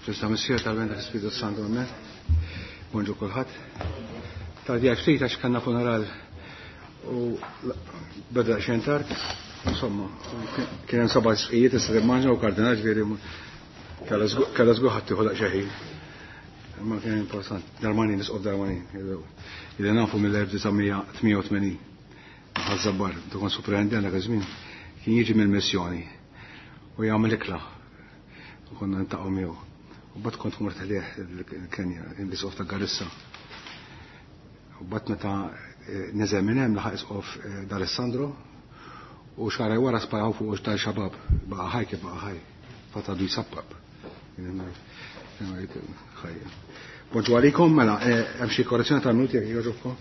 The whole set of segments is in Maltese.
Ġusta Missier tal-Benda l-Ispiritu Santu, amen. Bonġu kulħadd. Tardjaj ftit għax kellna funeral u beda xejn tard. Insomma, kien hemm seba' sqijiet issa timmaġna u kardinal ġifieri kellha żgur ħadd tieħu daqsxejn ħin. Imma kien importanti. Darmanin, isqof Darmanin. Illi nafu mill-1988. Ħaż-Żabbar, tkun superintendent dak iż-żmien, kien jiġi mill-missjoni u jagħmel ikla. U konna niltaqgħu miegħu. U bat kont mort ħlieħ il-Kenja, l-isqof ta' Garissa. U bat meta eh, neżel minn hemm laħaq isqof eh, D'Alessandro u xarej wara sparaw fuq tal-xabab, baqa' ħaj kif baqa' ħaj, fatadu jisappab. Bonġu għalikom, mela, eh, hemm xi korrezzjoni tal-minuti jekk jogħġobkom.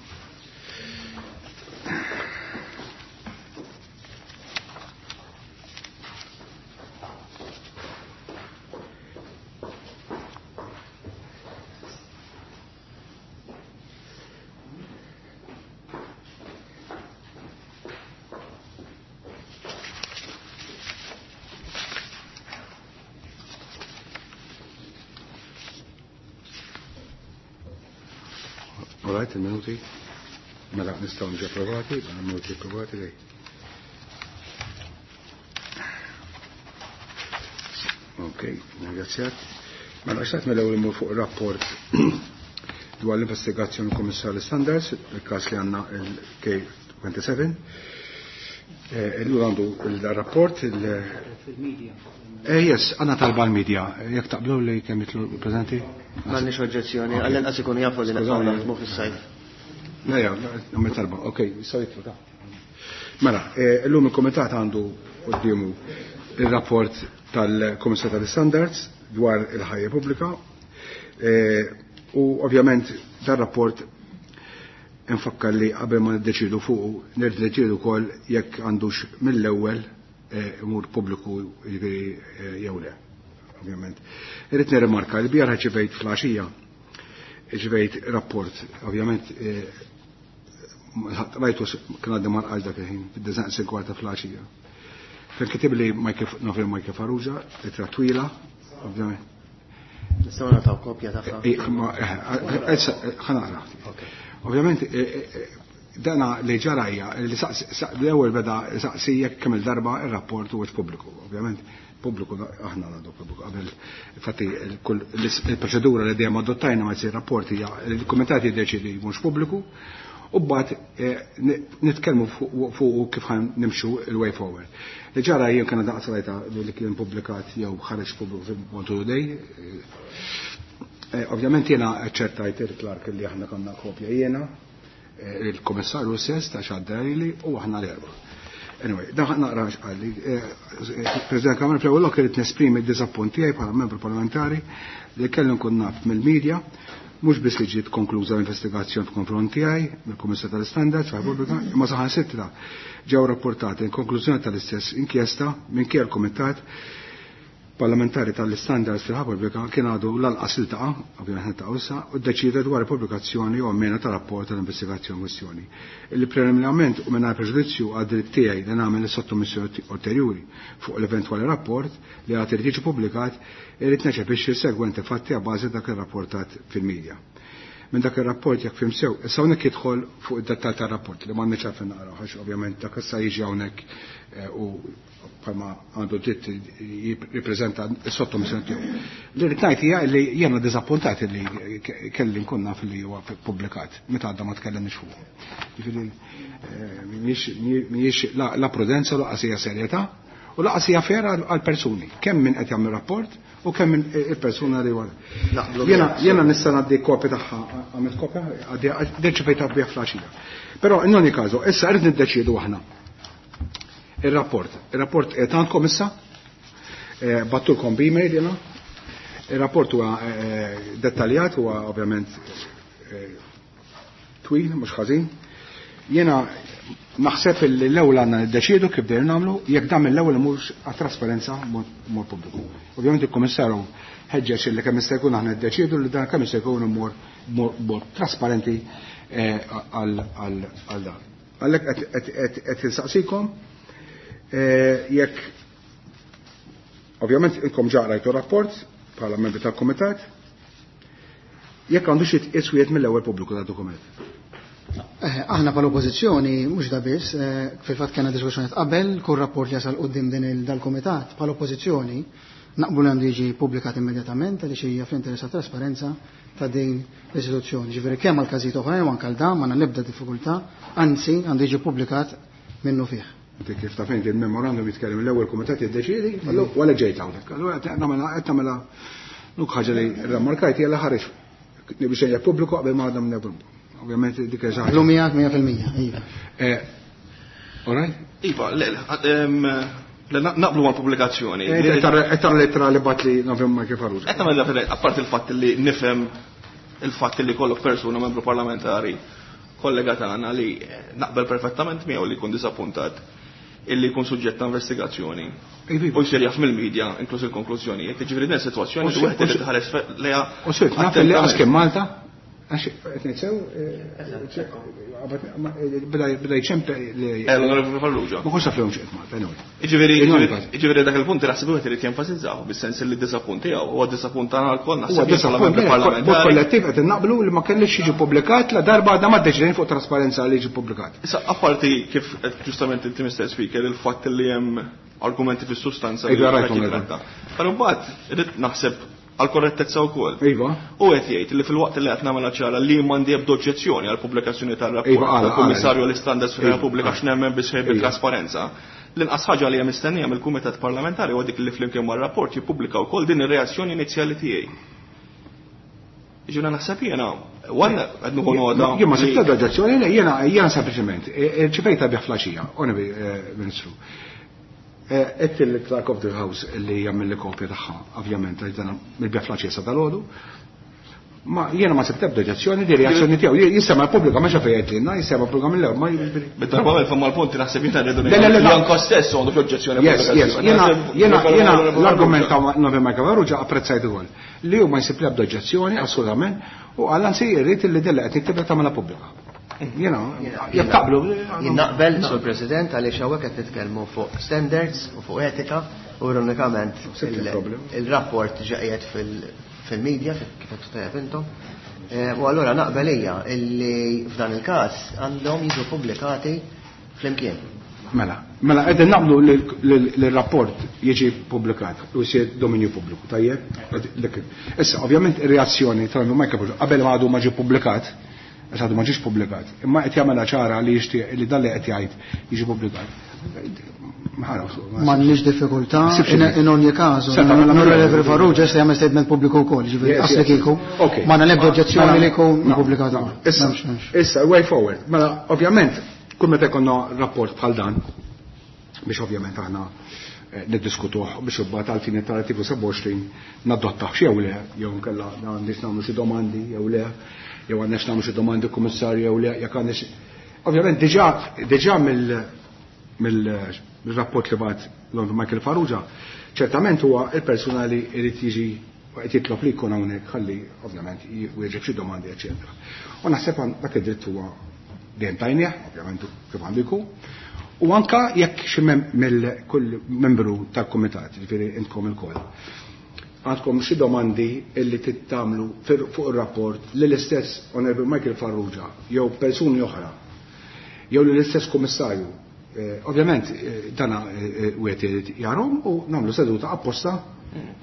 Alright, il-minuti. Mela, nistaw nġi approvati, mela minuti approvati lej. Ok, ringrazzjat. Mela, xtaqt mill-ewwel imur fuq rapport dwar l-investigazzjoni Kummissarju Standards, il-każ li għandna il-K27. Eh, illum għandu il-rapport il- Eh, yes, għanna talba l-media. Jek taqblu li kemm jitlu prezenti? M'għandniex oġġezzjoni, għall-inqas ikunu jafu li naqgħu naħdmu fis-sajf. Leja, għamil talba, ok, jistgħu jitlu ta' Mela, eh, illum il-komitat għandu quddiemu il-rapport tal-Komissar tal-Standards dwar il-ħajja pubblika eh, u ovvjament dar rapport nfakkar li qabel ma niddeċidu fuq niddeċidu wkoll jekk għandux mill-ewwel eh, imur pubbliku jiġifieri jew le. Ovvjament. Irrid nirrimarka li bieraħ ġivejt fl-għaxija ġivejt rapport, ovvjament rajtu kien għaddi marqax dak il-ħin, fid-design kwarta fl-għaxija. Fejn kitib li nofri Michael Farrugia, ittra twila, ovvjament. Nistgħu nagħtaw kopja tagħha. Ħa naqra. Ovvjament, dana li ġarajja, li l-ewwel beda saqsi jekk kemm il-darba ir-rapport huwa pubbliku. Ovvjament, pubbliku aħna għandu pubbliku qabel. Infatti il-proċedura li dejjem adottajna ma jsir rapport hija il-kumitat jiddeċidi mhux pubbliku u mbagħad nitkellmu fuq kif ħan nimxu il-way forward. Li ġara jien kien daqs rajta li kien publikat jew ħareġ pubbliku fil-Montu Today. Ovvjament jiena ċertajt il-Clark li aħna konna kopja jiena, il-komissarju stess ta' xaddajli u aħna l-erba. Anyway, dan naqra x'qalli. President Kamra fl-ewwel lok irid nesprimi d-diżappunt tiegħi bħala membru parlamentari li kelli nkun naf mill-medja mhux biss li ġiet konkluża l-investigazzjoni f'konfront tiegħi mill-Kummissar tal-Standards Repubblika, imma saħansitra ġew rapportati in konklużjoni tal-istess inkjesta minkejja l-Kumitat parlamentari tal-Standards fil-Repubblika kien għadu lanqas iltaqa', ovvjament niltaqgħu issa, u ddeċida dwar il-pubblikazzjoni u mena tal-rapport tal-investigazzjoni kwestjoni. Illi preliminarment u mingħajr preġudizzju għad-dritt tiegħi li nagħmel is-sottomissjoni ulterjuri fuq l-eventwali rapport li għad irid jiġi pubblikat, irid neċepixxi s-segwenti fatti a bażi dak irrapportat fil-medja. Minn dak ir-rapport jekk fim sew, issa hawnhekk jidħol fuq id-dettall tar-rapport li m'għandniex għalfejn naqraw għax ovvjament dak issa jiġi hawnhekk u bħalma għandu dritt jippreżenta s-sottomissjoni tiegħu. Li rrid ngħid hija li jiena diżappuntat li kelli nkun naf li huwa pubblikat meta għadda ma tkellimniex fuq. Jiġifieri mhijiex la prudenza laqas hija serjetà u laqas hija fair għall-persuni, kemm min qed jagħmel rapport u kemm min il-persuna li wara. Jiena nista' ngħaddi kopja tagħha, għamilt kopja, deċidejt għabbiha fl-għaxija. Però in ogni caso, issa rrid niddeċiedu aħna. Il-rapport. Il-rapport qed għandkom issa, battulkom b'email jiena. Il-rapport huwa dettaljat, huwa ovvjament twil, mhux ħażin. Jiena naħseb li l-ewwel għandna niddeċiedu kif dejjem nagħmlu, jekk dan mill-ewwel imur għat-trasparenza mod pubbliku. Ovvjament il-Kummissarju ħeġġeġ li kemm jista' jkun aħna niddeċiedu li dan kemm jista' jkun imur mod trasparenti għal dan. Għalhekk qed insaqsikom jekk ovvjament inkom ġa rajtu rapport, bħala membri tal-Kumitat, jekk għandux jitqies wieħed mill-ewwel pubbliku tad-dokument. Aħna bħala oppożizzjoni mhux da biss, fil-fatt kellna diskussjoni qabel kull rapport li jasal quddiem din dal-kumitat bħala oppożizzjoni naqblu li għandu jiġi pubblikat immedjatament għaliex hija fl-interess ta' trasparenza ta' din l-istituzzjoni. Ġifieri kemm għal każijiet oħrajn u anke għal dan m'għandna l-ebda diffikultà, anzi għandu jiġi pubblikat minnu fih. Inti kif taf inti il-memorandum jitkellem l-ewwel kumitat jiddeċiedi, wara ġejt hawnhekk. Allura qed nagħmilha qed tagħmilha nuk ħaġa li rremarkajt hija li ħareġ biex jgħid pubbliku qabel ma għadna minn Ovvjament dik hija xi ħaġa. Llum miegħek 100%, iva. All right? Iva, le, le, naqblu mal-pubblikazzjoni. Qed tara l-ittra li bagħat li nafhem Michael Farrugia. Qed nagħmel apparti il-fatt li nifhem il-fatt li kollok persuna membru parlamentari kollega tagħna li naqbel perfettament miegħu li jkun disappuntat illi jkun suġġett ta' investigazzjoni. U jsir jaf mill-medja, inkluż il-konklużjonijiet. Jiġifieri din sitwazzjoni li wieħed irid iħares lejha. U sirt naf li qas kien Malta, għax qed ngħid sew, beda jċempe li. L-Onorevoli Farrugia. Ma kontx naf li hawn Malta, anyway. Jiġifieri dak il-punt naħseb wieħed irid jenfasizzaw bis-sens li d-disappunt tiegħu huwa disappunt tagħna lkoll naħseb. Huwa disappunt bħala kollettiv qed innaqblu li ma kellix jiġi ppubblikat la darba għadna ma ddeċidejn fuq trasparenza li jiġi ppubblikat. Issa apparti kif ġustament inti Mr. Speaker il-fatt li hemm argumenti fis-sustanza li Iva, rajtu qed jitratta. Però mbagħad irid naħseb għal korrettezza wkoll. Iva. U qed jgħid li fil-waqt li qed nagħmel ċara li m'għandi ebda oġġezzjoni għal pubblikazzjoni tar-rapport Iva, għala, tal-Kummissarju għala. għall-Istandards Iva, fir-Repubblika għala. x'nemmen bi sħiħ Iva. bit-trasparenza. L-inqas ħaġa li hemm mistennija mill-Kumitat Parlamentari huwa dik li flimkien mar-rapport jippubblika wkoll din ir-reazzjoni inizjali tiegħi. Ġuna naħseb jiena, wara qed nieħu nota. Jien ma sibt ebda oġġezzjoni, le, jiena sempliċement, ċifejta bih flaxija, onevi, Ministru. Qed il-Clerk of the House li jagħmel li kopja tagħha, ovvjament, għax dan mill-bih flaxija sa dalgħodu. Ma jiena ma sibt ebda oġġezzjoni di reazzjoni tiegħu. Jissema l-pubblika ma xafej jgħidilna, jissema l-pubblika mill-ewwel, ma jiġifieri. Bid-darba għal fem mal-punti naħseb jiena rridu Le, le, le, ngħidu li anke stess għandu xi oġġezzjoni Yes, yes. pubblikazzjoni. Naħseb Jiena li l-argument ta' Novi Michael Farrugia apprezzajt ukoll. Li hu ma jsib l-ebda oġġezzjoni assolutament u għal anzi jrid li della qed niktibha tagħmilha pubblika. Jiena, jekk taqblu. Jien naqbel, Sur President, għaliex hawnhekk qed nitkellmu fuq standards u fuq etika u ironikament Sibt il-problem. il-rapport ġa qiegħed fil-media kif qed tajjeb intom. U allura naqbel hija illi f'dan il-każ għandhom jiġu pubblikati flimkien. Mela, mela qegħdin naqblu li l-rapport jiġi ppubblikat u jsir dominju pubbliku, tajjeb? Issa, ovvjament ir-reazzjoni tal Michael Farrugia qabel ma għadu ma ġie ppubblikat, għax għadu ma ġiex ppubblikat, imma qed jagħmilha ċara li jixtieq li dan li qed jgħid jiġi ppubblikat. M'għandniex diffikultà, Sibx xejn. in ogni caso, Senta, mela, mela. l-Onorevoli Farrugia se jagħmel statement pubbliku wkoll, ġifieri Yes, qasli yes. kieku. Okay. M'għandna l-ebda oġġezzjoni Mela, li jkun no, ppubblikat no. ukoll. Issa, M'hemmx, m'hemmx. issa, way forward. Mela, ovvjament, kull meta jkollna rapport bħal dan, biex ovvjament aħna niddiskutuh biex imbagħad għal fini tal-artiklu 27 nadottaħ xi jew le, jew nkella għandix nagħmlu xi domandi jew le, jew għandix nagħmlu xi domandi kummissarju jew le, jekk għandix. Ovvjament diġà mill-rapport li bagħat l-Onorevoli Michael Farrugia, ċertament huwa il-persuna li jrid jiġi qed jitlob li jkun hawnhekk ħalli ovvjament jwieġeb xi domandi, eċetera. U naħseb dak id-dritt huwa dejjem tajnieh, ovvjament kif għandu jkun. U anka jekk xi mill kull membru tal-kumitat, jiġifieri intkom ilkoll, għandkom xi domandi illi tittamlu fuq ir-rapport li l-istess Onorevoli Michael Farrugia jew persuni oħra jew li l-istess kummissarju. Ovvjament dana wieħed irid jarhom u nagħmlu seduta apposta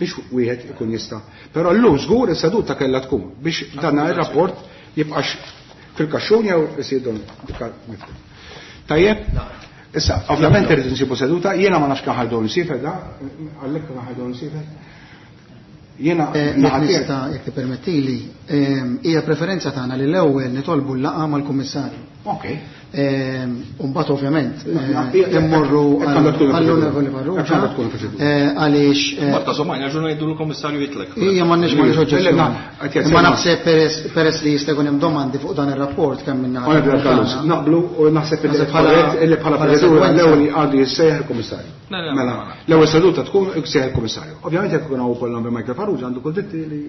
biex wieħed ikun jista'. Però llum żgur is-seduta kellha tkun biex dana ir-rapport jibqax fil-kaxxun jew isir don miftuħ. Tajjeb? Issa, ovvjament irrid insibu seduta, jiena ma nafx kemm ħajdu nsifer da, għalhekk kemm ħajdu nsifer. Jiena Jekk naħati nista', jekk tippermettili, hija preferenza tagħna li l-ewwel nitolbu l-laqgħa mal-Kummissarju. Ok. U mbagħad ovvjament, Na, na, hija, immorru hekk għandha tkun għall-Onorevoli il-proċedura. Farrugia, Hekk għandha tkun il-proċedura. għaliex, Marta, somma, jgħu ngħidu l-Kummissarju jitlek. Hija m'għandniex Le, le, oġġezzjoni. na, qed jgħid Imma sejma. naħseb peress li jista' jkun hemm domandi fuq dan ir-rapport kemm minn naħa Onorevoli tal-Kummissarju. Callus, naqblu u naħseb Naħseb illi bħala bħala proċedura sekwenza. l-ewwel għandu jissejjaħ il-Kummissarju. Le, le, Mela, le, le. l-ewwel seduta tkun jissejjaħ il-Kummissarju. Ovvjament jekk ikun hawn ukoll nagħmel Michael Farrugia għandu kull dritti li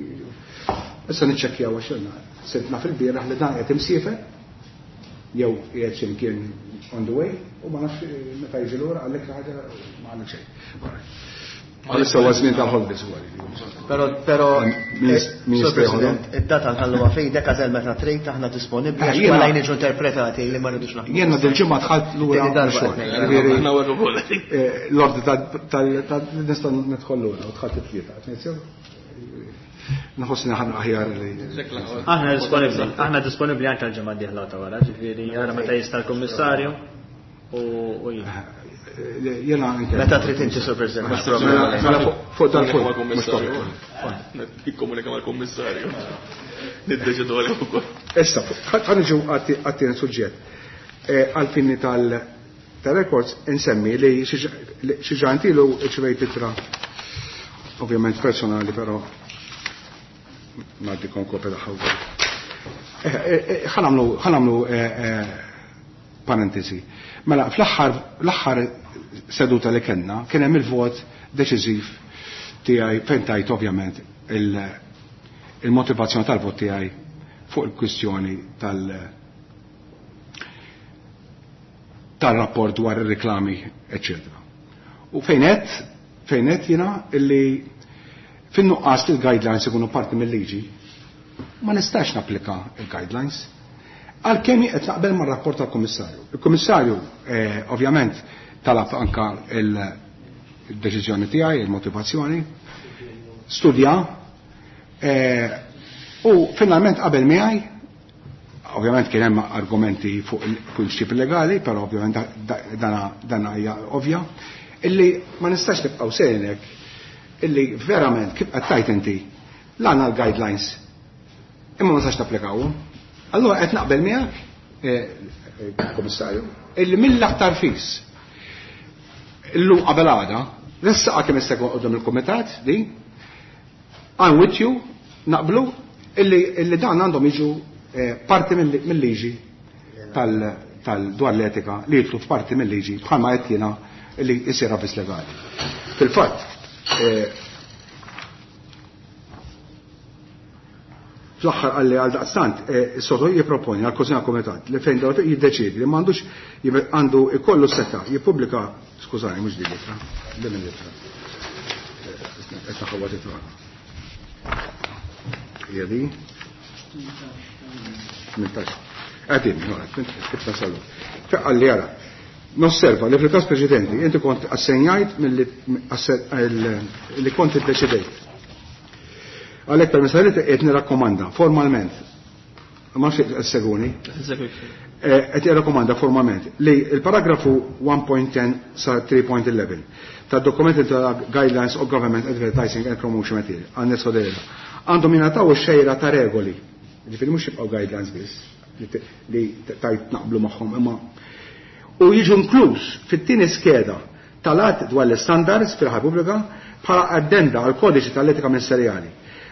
issa niċċekkjaw għax ilna. Sibna fil-bieraħ li dan qed imsiefer jew qiegħed xi mkien on the way u ma nafx meta jiġi lura għalhekk ħaġa ma għandek xejn. Għalissa huwa żmien tal-holidays huwa. Però Sur President, id-data nħalluha f'idek għażel meta trid aħna disponibbli għax ma lajn niġu interpretati li ma rridux naħdmu. Jiena dil-ġimgħa dħalt lura xogħol. L-ordi tal nista' nidħol lura u dħalt it-tlieta. Nħossni ħan aħjar li. Aħna disponibbli, aħna disponibbli anke l-ġimgħa d-dieħla ta' wara, ġifieri ara meta jista' l-Kummissarju u jien. Jena anke. Meta trid inti Sur President. Mela fuq dal-punt. Nikkomunika mal-Kummissarju. Niddeċidu għalih ukoll. Issa, ħa niġu għat-tieni suġġett. Għal-fini tal-records insemmi li xi ġantilu ċvejt itra ovvjament personali, però ngħaddikom kopja tagħha wkoll. Ħa nagħmlu parentesi. Mela, fl-aħħar seduta li kellna kien hemm il-vot deċiżiv tiegħi fejn tajt ovvjament il-motivazzjoni tal-vot tiegħi fuq il-kwistjoni tal-rapport dwar ir-reklami, eccetera. U fejn qed jiena illi fin-nuqqas li l-guidelines ikunu parti mill-liġi, ma nistax napplika il-guidelines. Għalkemm qed naqbel mar-rapport tal-Kummissarju. Il-Kummissarju ovvjament talab anka il-deċiżjoni tiegħi, il-motivazzjoni, studja, u finalment qabel miegħi, ovvjament kien hemm argumenti fuq il-prinċipi legali, però ovvjament dana hija ovvja, illi ma nistax nibqgħu sejnek illi verament kif qed tajt inti l-għandna l-guidelines imma ma nistax napplikawhom. Allura qed naqbel miegħek, Kummissarju, illi mill-aktar fis illum qabel għada, nessaqa kemm jista' jkun quddiem il-kumitat di, I'm with you, naqblu illi dan għandhom jiġu parti mill-liġi tal-dwar l-etika li jitlu f'parti mill-liġi bħalma qed jiena li jsir avviż legali. Fil-fatt, fl-aħħar qalli għal daqstant, is-soto jipproponi għal konsina komitat li fejn dawk jiddeċiedi li m'għandux għandu ikollu seta' jippubblika, skużani, mhux din litra, din litra. Qed naħawad it-twana. Hija di? 18. Għadin, kif tasallu. Qalli ara, nosserva li fil-każ preċedenti inti kont assenjajt li kont iddeċidejt. Għalhekk permessa li qed nirrakkomanda formalment, ma nafx qed seguni, qed jirrakkomanda formalment li l-paragrafu 1.10 sa 3.11 tad-dokumenti ta' Guidelines of Government Advertising and Promotion Material, għan delega, għandhom jingħataw ix-xejra ta' regoli, ġifieri mhux jibqgħu guidelines biss li tajt naqblu magħhom, imma u jiġu inkluż fit-tieni skeda tal-att dwar l-standards fil-ħajja pubblika bħala addenda għal kodiċi tal-etika ministerjali.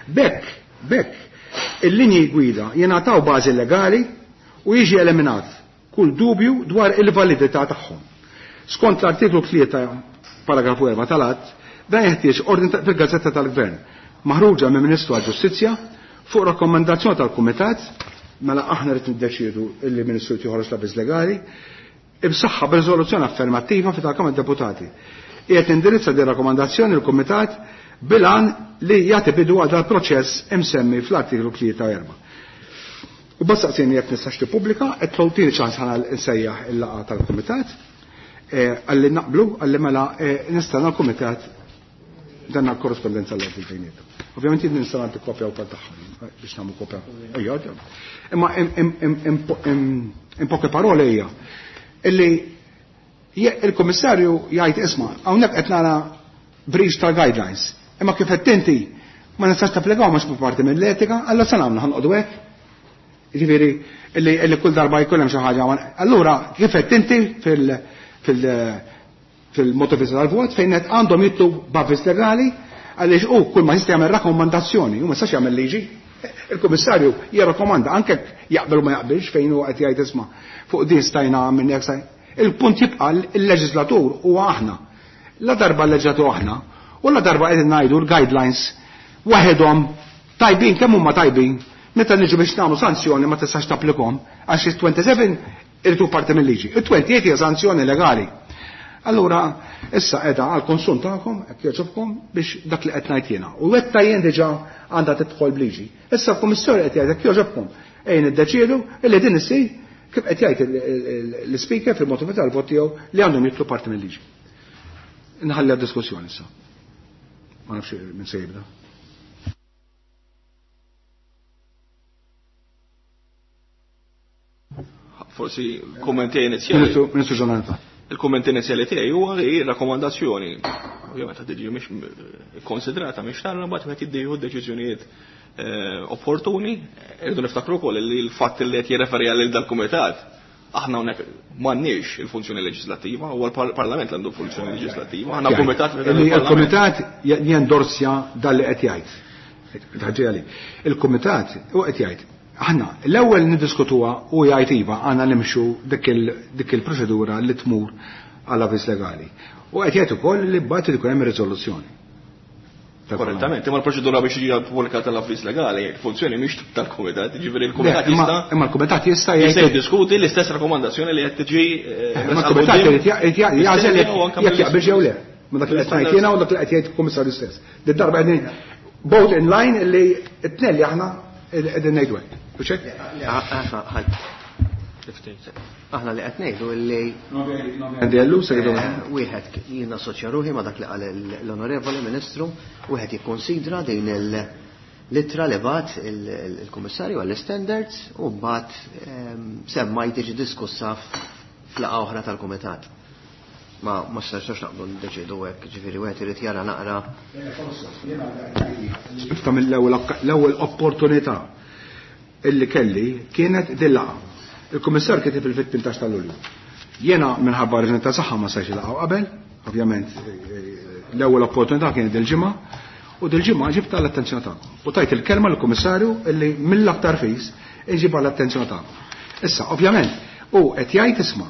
Bekk, il-linji gwida jingħataw bażi legali u jiġi eliminat kull dubju dwar il-validità tagħhom. Skont l-artiklu 3 paragrafu 4 tal-att, dan jeħtieġ ordni fil-Gazzetta tal-Gvern maħruġa minn Ministru għall-Ġustizzja fuq rakkomandazzjoni tal-Kumitat, mela aħna rrid niddeċiedu illi Ministru joħroġ l-avviż legali, ibsaħħa b'riżoluzzjoni affermattiva fi tal-Kamra Deputati. Qiegħed indirizza din rakkomandazzjoni l-Kumitat bilan li jagħti bidu għal dal-proċess imsemmi fl-artiklu 3 u 4. U bas saqsini jekk nistax tippubblika, qed tgħid ċans ħana nsejjaħ il-laqgħa tal-Kumitat, għalli naqblu, għalli mela nistenna l-Kumitat dan l-korrespondenza l bejnietna. Ovvjament jien nista' nagħti kopja wkoll tagħhom biex nagħmlu kopja. Ejja, imma in poche parole hija illi il-Kummissarju jgħid isma' hawnhekk qed nara breach tal-guidelines. Imma kif qed inti ma nistax tapplikaw mhux parti mill-etika, allura se nagħmlu ħanqodu hekk. Jiġifieri illi kull darba jkun hemm xi ħaġa. Allura kif qed inti fil-motivizza tal-vot fejn qed għandhom jitlu b'avviż legali għaliex hu kull ma jista' jagħmel rakkomandazzjoni, hu ma jistax jagħmel liġi. Il-Kummissarju jirrakkomanda anke jaqbel u ma jaqbilx fejn hu qed jgħid isma' fuq din stajna minn hekk stajna. Il-punt jibqa' il-leġislatur huwa aħna. La darba l-leġislatur aħna u la darba qegħdin ngħidu l-guidelines waħedhom tajbin kemm huma tajbin, meta niġu biex nagħmlu sanzjoni ma tistax tapplikhom għax il-27 irridu parti mill-liġi. Il-28 hija sanzjoni legali. Allura, issa qiegħda għal konsum tagħkom, hekk jogħġobkom biex dak li qed ngħid jiena. U wetta jien diġà għandha tidħol bliġi. Issa l-Kummissjoni qed jgħid hekk jogħġobkom ejn iddeċiedu illi din issir kif qed jgħid l-ispeaker fil-motivi tal-vot tiegħu li għandhom jidħlu parti mill-liġi. Nħalli għad-diskussjoni issa. Ma nafx minn se jibda. Forsi kummenti inizjali. Ministru Ġonata. Il-kumment inizjali tiegħi huwa li rakkomandazzjoni ovvjament qed tiġi mhix konsidrata mhix tara mbagħad meta jiddieħu deċiżjonijiet opportuni, irridu niftakru wkoll li l-fatt li qed jirreferi għal dal-kumitat aħna hawnhekk m'għandniex il-funzjoni leġislattiva, huwa l-Parlament li għandu funzjoni leġislattiva, aħna kumitat Il-kumitat jendorsja dan li qed jgħid. Il-kumitat u qed jgħid aħna l-ewwel niddiskutuha u jgħid iva għandna nimxu dik il-proċedura li tmur għal avviż legali. U qed jgħid ukoll li mbagħad ikun hemm riżoluzzjoni. Korrettament, imma l-proċedura biex jiġi pubblikata l-avviż legali, il-funzjoni mhix tal-kumitat, jiġifieri l-kumitat jista' Imma l-kumitat jista' jista' jiddiskuti l-istess rakkomandazzjoni li qed tiġi Imma l-kumitat irid jagħżel jekk jaqbel jew le. Ma dak li qed ngħid jiena u dak li qed jgħid il-kummissarju stess. Did-darba qegħdin both in line illi t-tnejn li aħna qegħdin ngħidu hekk. U xejn? Aħna li qed ngħidu li wieħed jien assoċja ruħi ma' dak li qal l-Onorevoli Ministru, wieħed jikkonsidra din l-ittra li bagħat il-Kummissarju għall-Standards u mbagħad semma tiġi diskussa f'laqgħa oħra tal-Kumitat. Ma stajtx naqblu ndeċidu hekk, ġifieri wieħed irid jara naqra. Ifta mill-ewwel opportunità illi kelli kienet din laqgħa. Il-Kummissar kiteb fil-18 ta' Lulju. Jiena minħabba raġuni ta' saħħa ma stajtx ilaqgħu qabel, ovvjament l-ewwel opportunità kienet dil-ġimgħa, u dil-ġimgħa ġibta l-attenzjoni tagħkom. U tajt il-kelma lill-Kummissarju illi mill-aktar fis inġibha l-attenzjoni tagħkom. Issa, ovvjament, hu qed jgħid isma'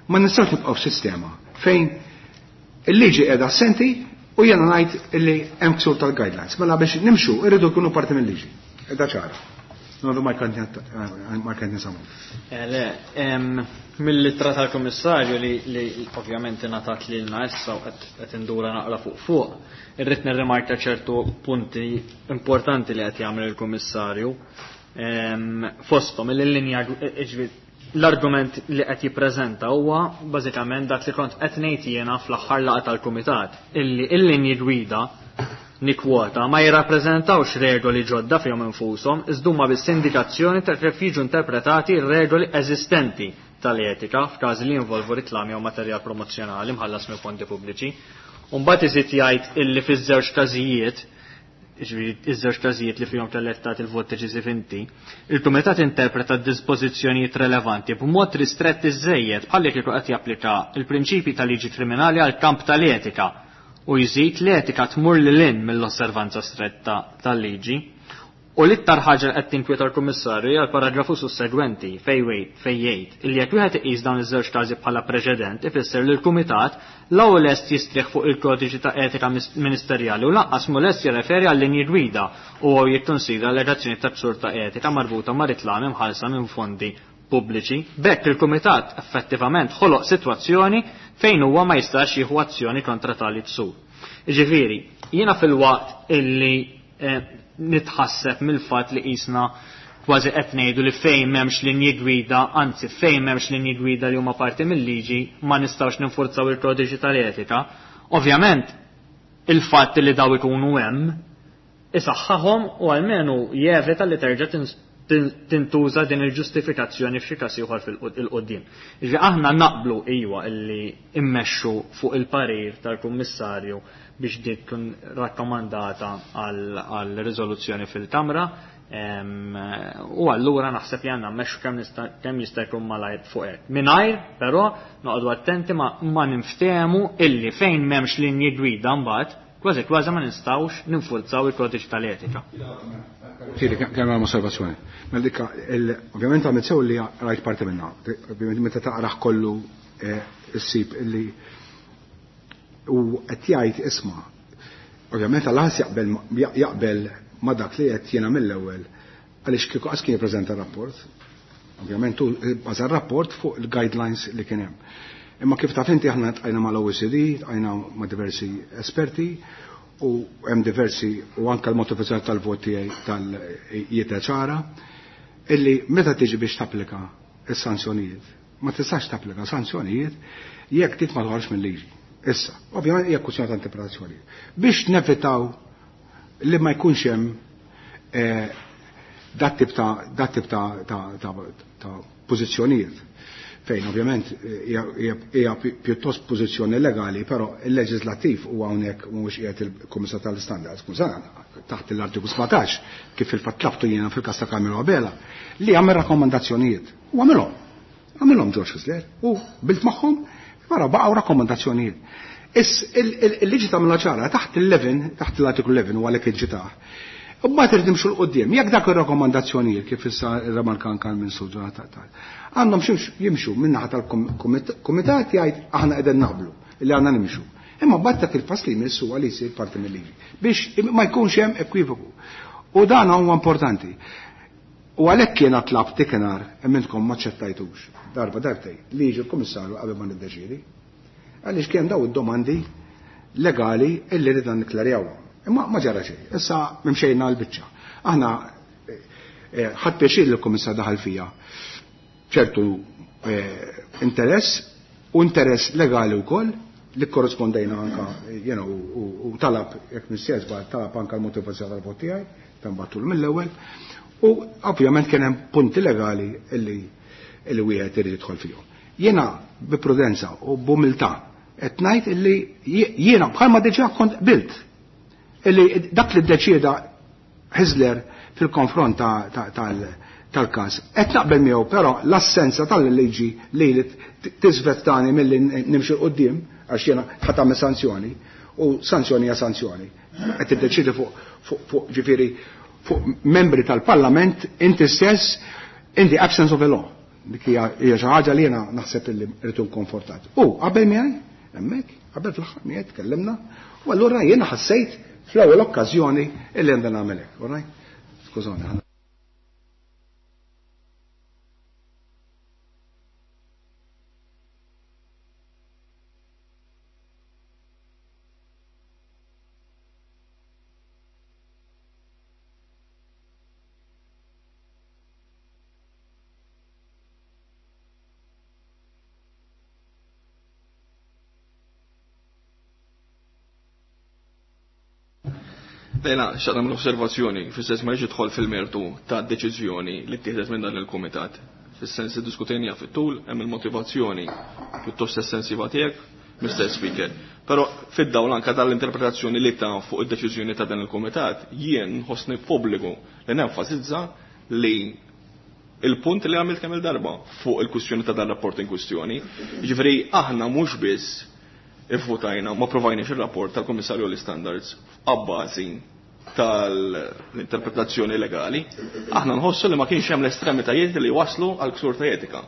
ma nistgħux nibqgħu f'sistema fejn il-liġi qiegħda assenti u jiena ngħid illi hemm ksur tal-guidelines. Mela biex nimxu irridu jkunu parti mill-liġi. Qiegħda ċara. Nodu ma kant nisamu. Le, mill-ittra tal-Kummissarju li ovvjament ingħatat lilna issa u qed indura naqra fuq, irrid nirrimarka ċertu punti importanti li qed jagħmel il-Kummissarju. Fosthom il-linja l-argument li qed jippreżenta huwa bażikament dak li kont qed ngħid jiena fl-aħħar laqgħa tal-Kumitat, illi l-linji gwida nikwota ma jirrappreżentawx regoli ġodda fihom infushom, iżda huma biss indikazzjoni ta' kif jiġu interpretati r-regoli eżistenti tal-etika f'każi li jinvolvu riklami jew materjal promozzjonali mħallas minn fondi pubbliċi. U mbagħad iżid jgħid illi fiż-żewġ każijiet, jiġifieri iż-żewġ każijiet li fihom kellek tagħti il-vot deċiżiv inti, il-Kumitat interpreta d-dispożizzjonijiet relevanti b'mod ristrett iżżejjed bħal kieku qed japplika l-prinċipji tal-liġi kriminali għal kamp tal-etika u jżid l-etika tmur lil hinn mill-osservanza stretta tal-liġi. U l-iktar ħaġa li qed tinkwieta l-Kummissarju hija l-paragrafu sussegwenti fejn jgħid illi jekk wieħed iqis dawn iż-żewġ każi bħala preċedent ifisser li l-Kumitat l-ewwel lest jistrieħ fuq il-kodiċi ta' etika ministerjali u lanqas mhu lest jirreferi għal linji gwida u huwa jikkonsidra allegazzjoni ta' ksur ta' etika marbuta ma' riklami mħallsa minn fondi pubbliċi. B'hekk il-Kumitat effettivament ħoloq sitwazzjoni fejn huwa ma jistax jieħu azzjoni kontra tali ksur. Jiġifieri, jiena fil-waqt illi nitħasseb mill-fatt li qisna kważi qed ngħidu li fejn m'hemmx linji gwida, anzi fejn m'hemmx linji gwida li huma parti mill-liġi ma nistgħux ninfurzaw il-kodiċi tal-etika. Ovvjament, il-fatt li daw ikunu hemm isaħħahom u almenu jevita li terġa' tintuża din il-ġustifikazzjoni f'xi każ ieħor fil-qudiem. Jiġifieri aħna naqblu iwa illi immexxu fuq il-parir tal-Kummissarju biex dik tkun rakkomandata għal riżoluzzjoni fil-Kamra, u allura naħseb li għandna mmexxu kemm jista' jkun malajr fuq hekk. Mingħajr però noqogħdu attenti ma ninftehmu illi fejn m'hemmx linji gwida mbagħad kważi kważi ma nistgħux ninfurzaw il-kodiċi tal-etika. Tieni, kemm hemm osservazzjoni. Mela dikka, ovvjament għamilt sew li rajt parti minnha. Ovvjament meta taqrah kollu issib illi u qed jgħid isma'. Ovvjament għal-ħas jaqbel ma dak li qed jiena mill-ewwel għaliex kieku qas kien jippreżenta rapport. Ovvjament hu baża rapport fuq il-guidelines li kien hemm. Imma kif taf inti aħna tqajna mal-OECD, tqajna ma' diversi esperti u hemm diversi u anke l-motivazzjoni tal-vot tiegħi tal-jieta ċara illi meta tiġi biex tapplika is-sanzjonijiet, ma tistax tapplika sanzjonijiet jekk dik ma toħroġ mill-liġi. Issa, ovvjament hija kwistjoni ta' interpretazzjoni. Biex nevitaw li ma jkunx hemm dat tip ta' dat tip ta' pożizzjonijiet fejn ovvjament hija pjuttost pożizzjoni legali, però il-leġislattiv huwa hawnhekk mhuwiex qiegħed il-Kummissar tal-Standards, taħt l-artiklu 17 kif fil-fatt tlabtu jiena fil-każ ta' Carmelo Abela, li għamel rakkomandazzjonijiet. U għamilhom. Għamilhom George Hyzler u bilt magħhom, wara baqgħu rakkomandazzjonijiet. Il-liġi tagħmilha ċara taħt il-11, taħt l-artiklu 11 u għalhekk iġġitaħ. U mbagħad irid nimxu 'l quddiem. Jekk dak ir-rakkomandazzjonijiet kif issa rremarka anke l-Ministru Jonathan għandhom jimxu min-naħa tal-kumitat jgħid aħna qegħdin naqblu li għandna nimxu. Imma mbagħad dak il-pass li jmiss huwa li jsir parti mill-liġi biex ma jkunx hemm ekwivoku. U dan huwa importanti. U għalhekk jiena tlabt dikinhar imma ma ċettajtux darba darbtej li jiġi l-Kummissarju qabel ma niddeċiedi. Għaliex kien daw id-domandi legali illi ridna nikklarjawhom. Imma ma ġara xejn. Issa mimxejna l-biċċa. Aħna ħadd pjaċir li l-Kummissar daħal fija ċertu interess u interess legali wkoll li korrispondejna anka u talab jekk missiex talab anka l-motivazzjoni tal-vot tiegħi fejn mill-ewwel u ovvjament kien hemm punti legali illi wieħed irid jidħol fihom. Jiena bi prudenza u b'umiltà qed ngħid illi jiena bħalma diġà kont qbilt illi dak li ddeċieda Hyzler fil-konfront tal-każ. Qed naqbel miegħu, però l-assenza tal-liġi li tiżvettani milli nimxi quddiem għax jiena ħadd tagħmel sanzjoni u sanzjoni hija sanzjoni. Qed tiddeċiedi fuq ġifieri fuq membri tal-Parlament inti stess in the absence of a law. Dik hija xi ħaġa li jiena naħseb illi rrid konfortat. U qabel miegħi hemmhekk, qabel fl-aħħar miegħi tkellimna, u allura jiena ħassejt fl-ewwel okkażjoni illi għandna nagħmel hekk, all right? Skużani. Lejla, xaqt nagħmel osservazzjoni, fis-sens ma jidħol fil-mertu ta' deċiżjoni li ttieħdet minn dan il-kumitat. Fis-sens iddiskutejniha fit-tul, hemm il-motivazzjoni pjuttost estensiva tiegħek, Mr. Speaker. Però fid-dawl anka tal-interpretazzjoni li ta' fuq id-deċiżjoni ta' dan il-kumitat, jien nħossni pubbliku li nenfasizza li il-punt li għamilt kemm il-darba fuq il-kwistjoni ta' dan rapport in kwistjoni. Jiġifieri aħna mhux biss ivvutajna ma provajniex ir-rapport tal-Kummissarju l-Standards abbażi tal-interpretazzjoni legali, aħna nħossu li ma kienx hemm l-estremitajiet li waslu għal ksur ta' etika.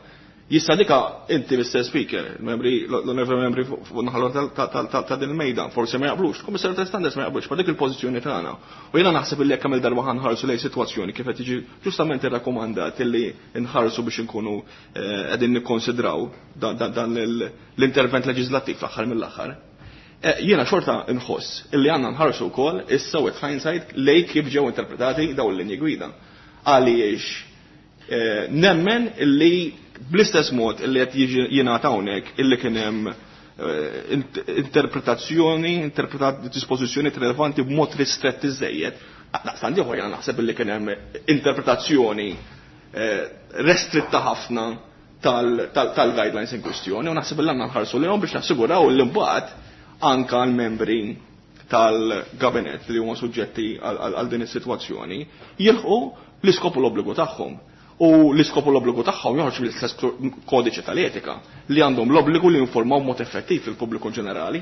Jista' dika inti Mr. Speaker, membri l-onorevoli membri fuq naħa ta' din il-mejda, forsi ma jaqblux, Kummissarju tal-Standards ma jaqblux, ma dik il-pożizzjoni tagħna. U jiena naħseb illi jekk hemm darba ħanħarsu lejn sitwazzjoni kif qed jiġi ġustament irrakkomandat illi nħarsu biex inkunu qegħdin nikkonsidraw dan l-intervent leġislattiv fl-aħħar mill-aħħar. Jiena xorta nħoss illi għandna nħarsu wkoll issa with hindsight lej kif ġew interpretati dawn l-linji gwida. Għaliex nemmen illi bl-istess mod illi qed jiġi jingħata hawnhekk illi kien hemm interpretazzjoni, interpretat dispożizzjoni rilevanti b'mod ristrett iżejjed. Daqstant ieħor jiena naħseb illi kien hemm interpretazzjoni restritta ħafna tal-guidelines in kwistjoni u naħseb illi għandna nħarsu lejhom biex nassiguraw li mbagħad anka l-membri tal-gabinet li huma suġġetti għal din is-sitwazzjoni jilħqu l-iskop u l-obbligu tagħhom. U l-iskop u l-obbligu tagħhom joħroġ mill-istess kodiċi tal-etika li għandhom l-obbligu li jinformaw mod effettiv il-pubbliku ġenerali.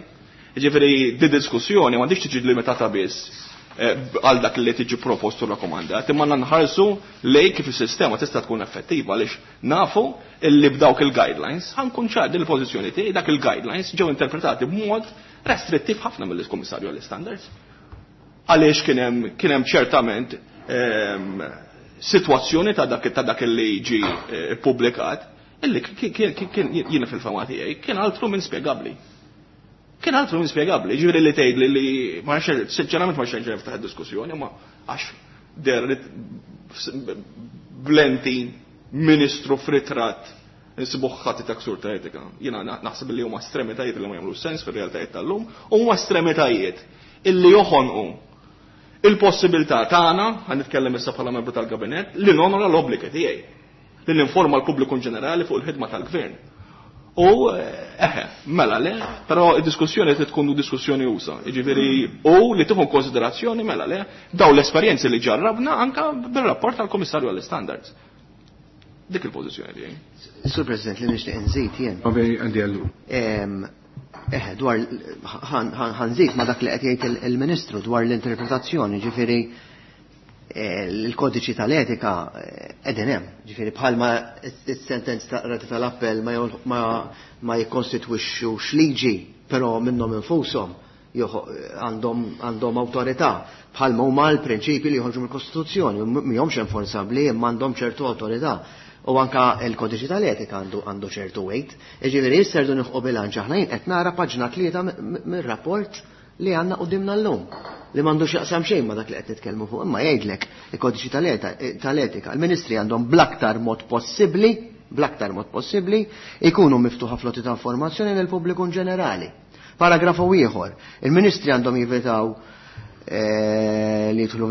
Jiġifieri di diskussjoni m'għandix tiġi limitata biss għal dak li tiġi propost u rakkomandat, imma nħarsu lej kif is-sistema tista' tkun effettiva għaliex nafu illi b'dawk il-guidelines ħankun ċar din il-pożizzjoni tiegħi dak il-guidelines ġew interpretati b'mod restrittiv ħafna mill-Kummissarju għall-Standards. Għaliex kien hemm ċertament sitwazzjoni ta' dak li ġi ippubblikat. Illi kien jiena fil-fama tiegħi kien altru minn spjegabbli. Kien altru minn spjegabbli, ġifieri li tgħid li ma nafx, sinċerament ma nafx niftaħ id-diskussjoni, ma għax der li blenti ministru f'ritratt insibuh ħati ta' ksur ta' etika. Jiena naħseb li huma estremitajiet li ma jagħmlu sens fir-realtajiet tal-lum, u huma estremitajiet illi joħonqu il-possibilità tagħna, ħa nitkellem issa bħala membru tal-gabinett, li nonora l-obbligi tiegħi, li ninforma l-pubbliku ġenerali fuq il-ħidma tal-gvern. U eħe, mela le, però id-diskussjoni trid tkun diskussjoni usa. Jiġifieri u li tieħu konsiderazzjoni mela le daw l-esperjenzi li ġarrabna anka bir-rapport tal-Kummissarju għall-Standards. Dik il-pożizzjoni tiegħi. Sur President, li nixtieq inżid jien. Għandi għallu. Eħe, dwar ħanżid ma dak li qed jgħid il-Ministru dwar l-interpretazzjoni, ġifieri l-kodiċi tal-etika qegħdin hemm. Ġifieri bħalma is-sentenz ta' rati tal-appell ma jikkostitwixxux liġi, però minnhom infushom għandhom awtorità bħalma huma l-prinċipi li joħorġu mill-Kostituzzjoni, mihomx enforzabbli imma għandhom ċertu awtorità. U anka l-kodiċi tal-etika għandu ċertu weight. Jiġifieri issa rridu nilħqu bilanċ aħna jien qed nara paġna 3 mir-rapport li għandna qudiemna llum, li m'għandux jaqsam xejn ma dak li qed nitkellmu fuq, imma jgħidlek il-kodiċi tal-etika. Il-ministri għandhom bl-aktar mod possibbli, bl-aktar mod possibbli, ikunu miftuħa flotti ta' informazzjoni lil pubbliku ġenerali. Paragrafu ieħor, il-ministri għandhom jivitaw li jidħlu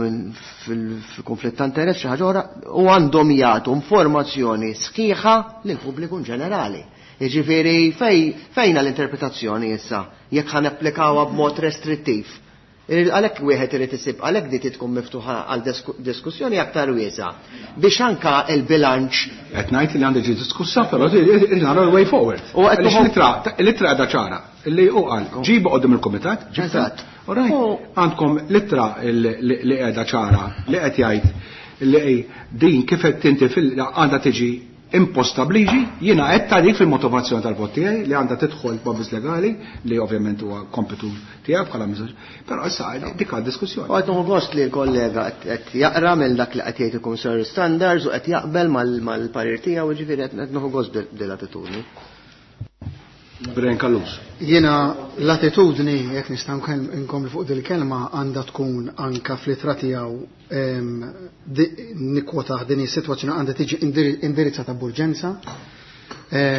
fil-konflitt ta' interess xi ħaġa oħra, u għandhom jagħtu informazzjoni sħiħa lil pubbliku ġenerali. Jiġifieri fejna l-interpretazzjoni issa jekk ħan applikawha b'mod restrittiv. Għalhekk wieħed irid isib, għalhekk di tkun miftuħa għal diskussjoni aktar wiesa' biex anka l-bilanċ. Qed ngħid li għandi ġi diskussa, però irid nara l-way forward. U qed Għaliex nieħu l-ittra qiegħda ċara li hu qal, ġibu qudiem il-kumitat, ġibta. Eżatt. All right. Għandkom l-ittra li qiegħda ċara li qed jgħid li din kif qed tinti fil għandha tiġi imposta bliġi, jiena qed ta' dik fil-motivazzjoni tal-vot tiegħi li għandha tidħol b'avviż legali li ovvjament huwa kompitu tiegħek bħala miżur. Però issa dik għad diskussjoni. U qed nieħu gost li l-kollega qed jaqra mill dak li qed jgħid il-Kummissarju Standards u qed jaqbel mal-parir tiegħu, jiġifieri qed nieħu gost b'din l-attitudni. Brian Callus. Jiena l-attitudni, jekk nista' nkompli fuq dil-kelma, għandha tkun anka fl-ittra tiegħu nikkwota din is-sitwazzjoni għandha tiġi indirizzata b'urġenza.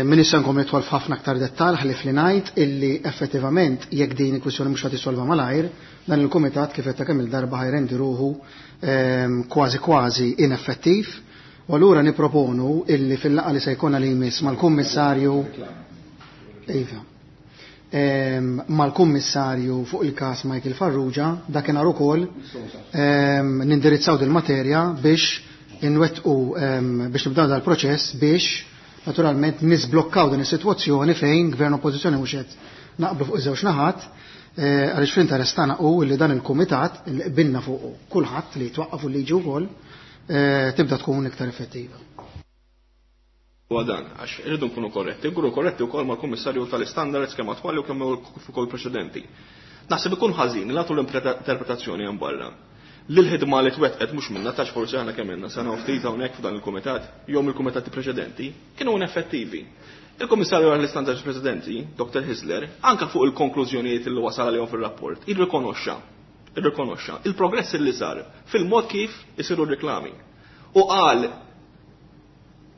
Min issa nkompli nidħol f'ħafna aktar dettall ħlief li ngħid illi effettivament jekk din il-kwistjoni mhux ħadd issolva malajr, dan il-kumitat kif qed ta' kemm il-darba ħajrendi ruħu kważi kważi ineffettiv. U allura nipproponu illi fil-laqgħa li se jkollna li jmiss mal-kummissarju Iva. Mal-kummissarju fuq il-każ Michael Farrugia, dakinhar ukoll nindirizzaw dil-materja biex inwettqu biex nibdew dal-proċess biex naturalment nisblokkaw din is-sitwazzjoni fejn gvern oppożizzjoni mhux qed naqblu fuq iż-żewġ naħat, għaliex fl-interess tagħna hu li dan il-kumitat li qbilna fuq kulħadd li jitwaqqaf u liġi wkoll tibda tkun iktar effettiva. U dan, għax irridu nkunu korretti, nkunu korretti wkoll mal-Kummissarju tal-Istandards kemm attwali u kemm ukoll preċedenti. Naħseb ikun ħażin li nagħtu l-interpretazzjoni hemm barra. Li l-ħidma li twettqet mhux minna tax forsi aħna kemm ilna sena u ftit hawnhekk f'dan il-kumitat, jew mill-kumitati preċedenti, kienu ineffettivi. Il-Kummissarju għall-Istandards Preċedenti, Dr. Hyzler, anka fuq il-konklużjonijiet li wasal għalihom fir-rapport, irrikonoxxa il-progress li sar fil-mod kif isiru r-reklami. U qal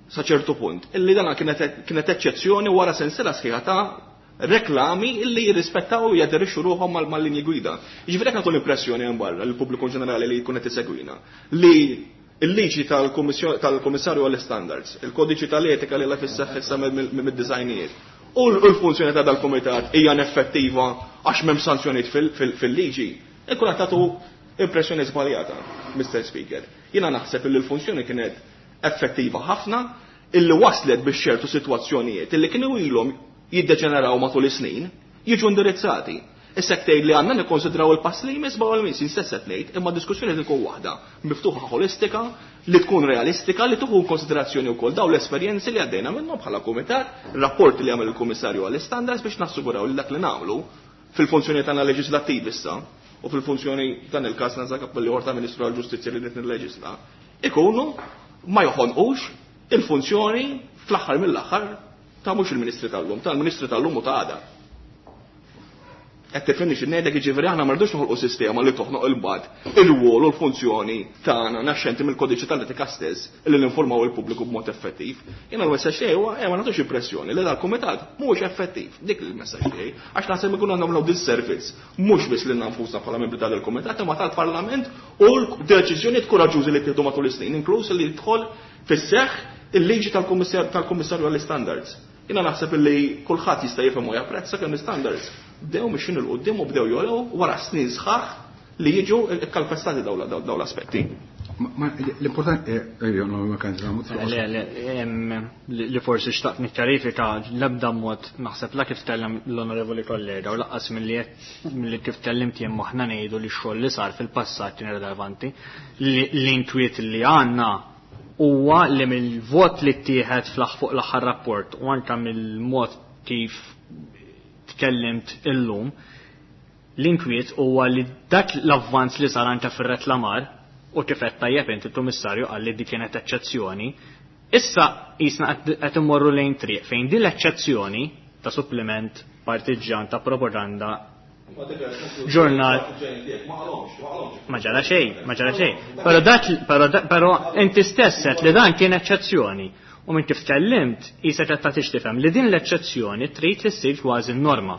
sa ċertu punt illi dana kienet eċċezzjoni wara sensiela sħiħa ta' reklami illi jirrispettaw u jaderixxu ruħhom mal-linji gwida. Jiġifieri hekk nagħtu l-impressjoni hemm barra lill-pubbliku ġenerali li jkun qed isegwina li l-liġi tal-Kummissarju għall-Standards, il-kodiċi tal-etika li la fis-seħħ issa mid-designijiet, u l-funzjoni ta' dal-kumitat hija ineffettiva għax m'hemm sanzjonijiet fil-liġi, ikun qed tagħtu impressjoni żbaljata, Mr. Speaker. Jiena naħseb li l-funzjoni kienet effettiva ħafna illi waslet biex ċertu sitwazzjonijiet illi kienu ilhom jiddeġeneraw matul is-snin jiġu indirizzati. Issa jekk tgħid li għandna nikkonsidraw il-pass li jmiss b'għal miss, jien stess qed ngħid, imma diskussjoni tkun waħda miftuħa ħolistika, li tkun realistika, li tieħu konsiderazzjoni wkoll dawn l-esperjenzi li għaddejna minnhom bħala kumitat, rapporti li għamel il-Kummissarju għall-Istandards biex nassiguraw li dak li nagħmlu fil-funzjoni tagħna leġislattiv issa u fil-funzjoni dan il-każ nażak li orta Ministru għall-Ġustizzja li qed nilleġisla, ikunu ma joħonqux il-funzjoni fl-aħħar mill-aħħar ta' mhux il-Ministri tal-lum, tal-Ministri tal-lum u ta' għada. Qed tifhimni xi ngħidlek, jiġifieri aħna ma rridux noħolqu sistema li toħnoq il-bad ir-rwol u l-funzjoni tagħna naxxenti mill-kodiċi tal-etika stess li ninformaw il-pubbliku b'mod effettiv. Jiena l-messaġġ tiegħi huwa ma nagħtux impressjoni li dal-kumitat mhuwiex effettiv. Dik il-messaġġ tiegħi, għax naħseb ikun nagħmlu disservice mhux biss lilna nfusna bħala membri tal-kumitat imma tal-Parlament u l-deċiżjonijiet kuraġġużi li ttieħdu matul is-snin, inkluż li jidħol fis-seħħ il-liġi tal-Kummissarju għall-Istandards. Jiena naħseb li kulħadd jista' jifhem u japprezza kemm l-istandards bdew mixin 'il quddiem u bdew jogħlew wara snin sħaħ li jiġu kkalpestati dawn l-aspetti. L-importanti, ma kan Le, le, li forsi xtaqt nikkjarifika, l-ebda mod naħseb la kif tkellem l-onorevoli kollega u lanqas milli kif tkellimt jien aħna ngħidu li x-xogħol li sar fil-passat kien irrelevanti. L-inkwiet li għandna huwa li mill-vot li ttieħed fuq l-aħħar rapport u anke mill-mod kif tkellimt illum, l-inkwiet huwa li dak l-avvanz li sar anke fir-reklamar u kif qed tajjeb inti, il-Kummissarju qal li dik kienet eċċezzjoni, issa qisna qed immorru lejn triq fejn din l-eċċezzjoni ta' suppliment partiġġan ta' propaganda ġurnal ma ġara xejn, ma ġara xejn. Però dak però inti stess qed li dan kien eċċezzjoni. U minn kif tkellimt, qisek qed tagħtix tifhem li din l-eċċezzjoni trid li ssir kważi norma.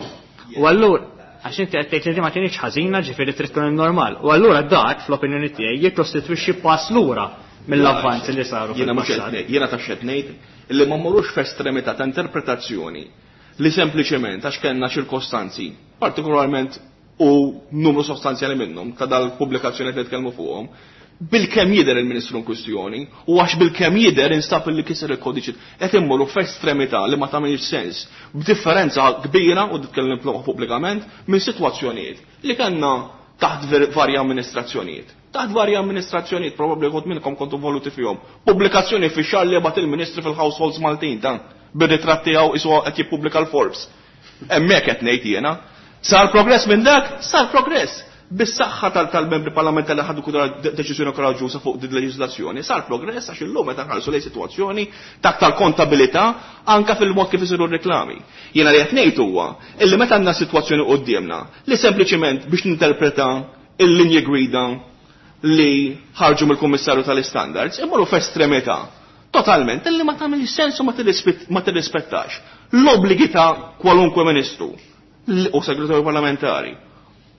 U allura għax inti qed tgħid li ma kienx ħażina, ġifieri trid tkun normal. U allura dak fl-opinjoni tiegħi jikkostitwixxi pass lura mill-avvanzi li saru. Jiena mhux qed jiena ta' xed ngħid li ma mmorrux f'estremità ta' interpretazzjoni li sempliċement għax kellna ċirkostanzi, partikolarment u numru sostanzjali minnhom ta' dal-pubblikazzjoni li nitkellmu fuqhom, bil-kemm jidher il-Ministru in kwistjoni u għax bil-kemm jidher instab li kiser il-kodiċi, qed immorru f'estremità li ma tagħmilx sens, b'differenza kbira, u nitkellem pubblikament, minn sitwazzjonijiet li kellna taħt varja amministrazzjonijiet. Taħt varja amministrazzjonijiet, probabbli kont minnkom kontu voluti fihom. Pubblikazzjoni fi xahar li bagħat il-Ministri fil-households Maltin dan bir-ritratt tiegħu isu qed jippubblika l-Forbes. Hemmhekk qed ngħid jiena. Sar progress minn dak? Sar progress. Bis-saħħa tal-membri parlamentari li ħadu deċiżjoni koraġġuża fuq din leġiżlazzjoni, sar progress għax illum meta nħarsu lejn sitwazzjoni ta' aktar kontabilità anke fil-mod kif isiru r-reklami. Jiena li qed ngħid huwa illi meta għandna sitwazzjoni quddiemna li sempliċiment biex ninterpreta il-linji gwida li ħarġu mill-Kummissarju tal-Istandards imorru f'estremità totalment illi ma tagħmilx sens u ma tirrispettax l-obbligi ta' kwalunkwe ministru u segretarju parlamentari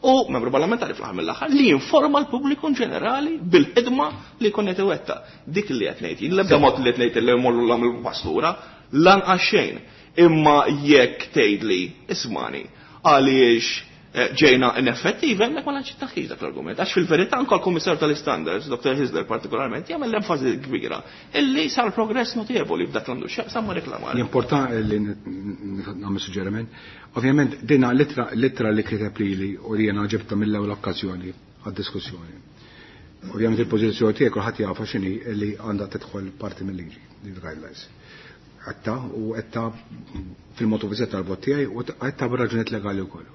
u membru parlamentari fl-aħħar mill-aħħar li jinforma l-pubbliku ġenerali bil-ħidma li jkun qed iwettaq. Dik li qed ngħid jien, l-ebda mod li qed ngħid li jmorru l-għamil pastura, lanqas xejn. Imma jekk tgħidli ismani għaliex ġejna ineffettivi, hemmhekk ma naċċettax dak l-argument. Għax fil-verità anke l-Kummissarju tal-Istandards, Dr. Hyzler partikolarment, jagħmel l-enfasi kbira illi sar progress notevoli f'dak l-għandu x'jaqsam ma' reklamar. L-important li nagħmel suġġeriment, ovvjament dina l-ittra li kiteb lili u li jiena ġibta mill-ewwel okkażjoni għad-diskussjoni. Ovvjament il-pożizzjoni tiegħek kulħadd jafha x'inhi li għandha tidħol parti mill-liġi, il-guidelines. Għatta u għatta fil-motivizet tal-vot tiegħi u għatta b'raġunijiet legali wkoll.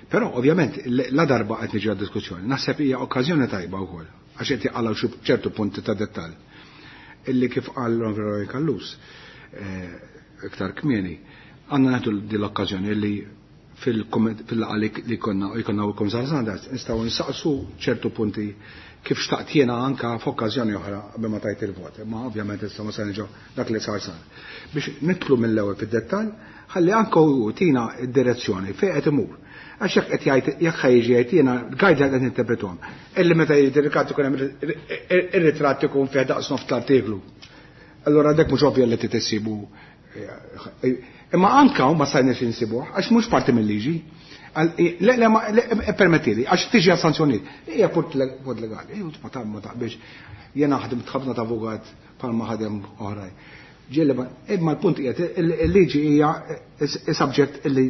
Però ovvjament la darba qed niġi għad-diskussjoni, naħseb hija okkażjoni tajba wkoll għax qed jaqalgħu xi ċertu punti ta' dettall. Illi kif qal l-Onorevoli Callus iktar kmieni, għandna nagħtu din l-okkażjoni li fil-laqgħa li konna u jkollna u Kummissarju Standards nistgħu nsaqsu ċertu punti kif xtaqt jiena anka f'okkażjoni oħra qabel ma tajt il-vot. Imma ovvjament issa ma se niġu dak li sar sar. Biex nidħlu mill-ewwel fid-dettall, ħalli anke hu tina d-direzzjoni fejn qed imur. Għax jekk qed jgħid, jekk ħa jiġi jgħid jiena guideline qed ninterpretuhom. Illi meta jgħid ir-ritratt ikun hemm ir-ritratt ikun fih daqs nofs l-artiklu. Allura dak mhux ovvja li tisibu. Imma anka ma stajniex insibuh għax mhux parti mill-liġi. Le, le, ma, le, permettili, għax tiġi għal sanzjonijiet. Hija punt legali. Ejju, ma ta' ma taqbilx. Jiena ħadim ħafna ta' avukat bħalma ħadem oħrajn. Ġieli ma, imma l-punt qiegħed il-liġi hija subject li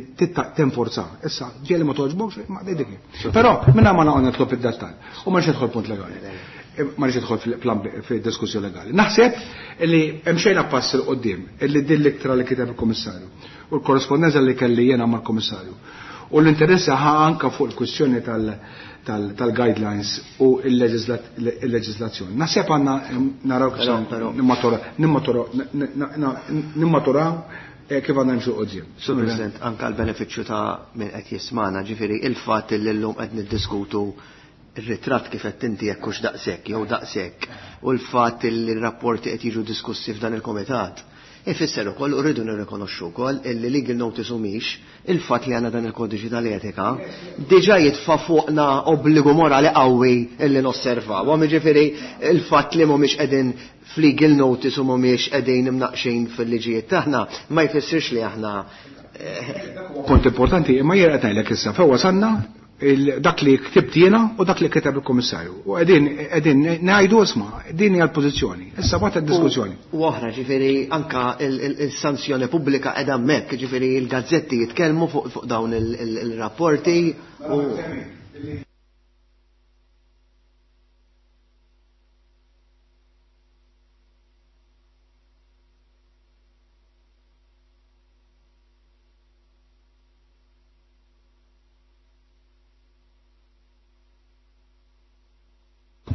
tinforza. Issa, ġieli ma toġbokx, ma dik. Però minna ma naqgħod nidħol fid-dettall u ma nix nidħol punt legali. Ma nix nidħol fil-diskussjoni legali. Naħseb li hemm xejn pass il qudiem illi din l-ittra li kiteb il-Kummissarju u l-korrespondenza li kelli jiena mal-Kummissarju. U l-interess ħa anka fuq il-kwistjoni tal-guidelines u il-leġislazzjoni. Naħseb għandna naraw kif nimmaturaw kif għandna nimxu quddiem. Sur President, anke l-benefiċċju ta' min qed jismana, ġifieri il-fatt li llum qed niddiskutu ir-ritratt kif qed inti jekk hux daqshekk jew daqshekk u l-fatt li r-rapporti qed jiġu diskussi f'dan il-kumitat. Ifisser ukoll u rridu nirrikonoxxu wkoll illi legal notice humiex il-fatt li għandna dan il-kodiċi tal-etika diġà jitfa' fuqna obbligu morali qawwi illi nosservaw. Jiġifieri il-fatt li mhumiex qegħdin f'legal notice u mhumiex qegħdin imnaqxin fil-liġijiet tagħna ma jfissirx li aħna Punt importanti, imma jien qed ngħidlek issa fejn wasalna dak li ktibt jiena u dak li kiteb il-Kummissarju. U qegħdin ngħidu isma' din hija l-pożizzjoni. Issa bagħad id-diskussjoni. U oħra, ġifieri anka il-sanzjoni pubblika qiegħda hemmhekk, ġifieri il-gazzetti jitkellmu fuq dawn il-rapporti u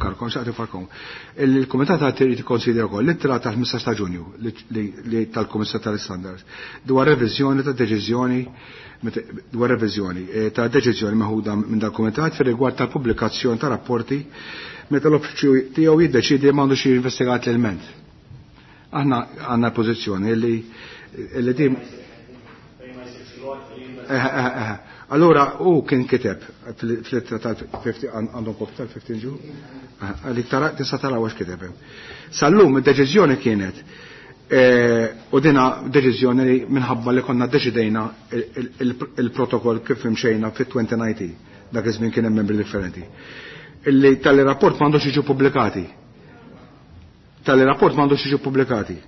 Karkom, xaqti farkom. Il-Kumitat għad irid ikkonsidra wkoll l-ittra tal-15 ta' Ġunju li tal-Kummissar tal-Standards dwar reviżjoni ta' deċiżjoni dwar reviżjoni ta' deċiżjoni meħuda minn dal-Kumitat fir-rigward tal-pubblikazzjoni ta' rapporti meta l-uffiċċju tiegħu jiddeċiedi li m'għandux jinvestigat l-ilment. Aħna għandna pożizzjoni li din Allora, u kien kiteb fl-ittra tal-50, għandhom kopja tal-15 ġu? Għalik tara, tista' tara għax kiteb. Sal-lum id-deċiżjoni kienet, u dina deċiżjoni li minħabba li konna deċidejna il-protokoll kif imxejna fit-2019, dak iż-żmien kien hemm membri differenti. Illi tal-rapport m'għandux jiġu pubblikati. Tal-rapport m'għandux jiġu pubblikati.